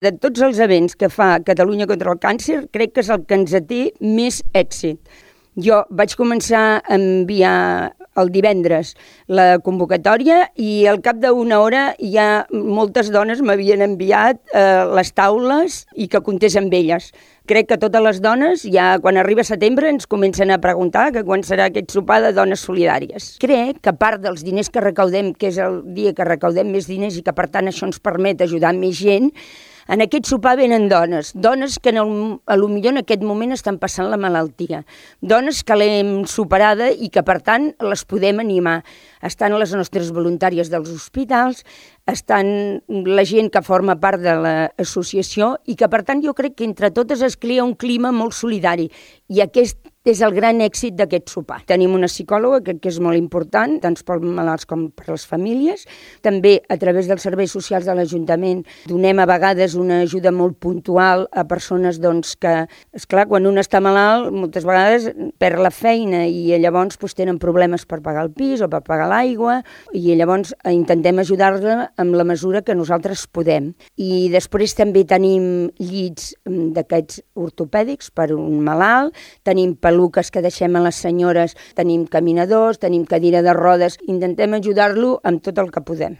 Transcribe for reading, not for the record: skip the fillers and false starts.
De tots els events que fa Catalunya contra el càncer, crec que és el que ens té més èxit. Jo vaig començar a enviar el divendres la convocatòria i al cap d'una hora ja moltes dones m'havien enviat les taules i que comptés amb elles. Crec que totes les dones, ja quan arriba setembre, ens comencen a preguntar que quan serà aquest sopar de dones solidàries. Crec que a part dels diners que recaudem, que és el dia que recaudem més diners i que per tant això ens permet ajudar més gent, en aquest sopar venen dones que potser en aquest moment estan passant la malaltia, dones que l'hem superada i que per tant les podem animar. Estan les nostres voluntàries dels hospitals, estan la gent que forma part de l'associació i que per tant jo crec que entre totes es crea un clima molt solidari i aquest és el gran èxit d'aquest sopar. Tenim una psicòloga que és molt important, tant pels malalts com per les famílies. També a través dels serveis socials de l'Ajuntament donem a vegades una ajuda molt puntual a persones que, esclar, quan un està malalt, moltes vegades perd la feina i llavors tenen problemes per pagar el pis o per pagar l'aigua i llavors intentem ajudar-la amb la mesura que nosaltres podem. I després també tenim llits d'aquests ortopèdics per un malalt, tenim peluques que deixem a les senyores, tenim caminadors, tenim cadira de rodes, intentem ajudar-lo amb tot el que podem.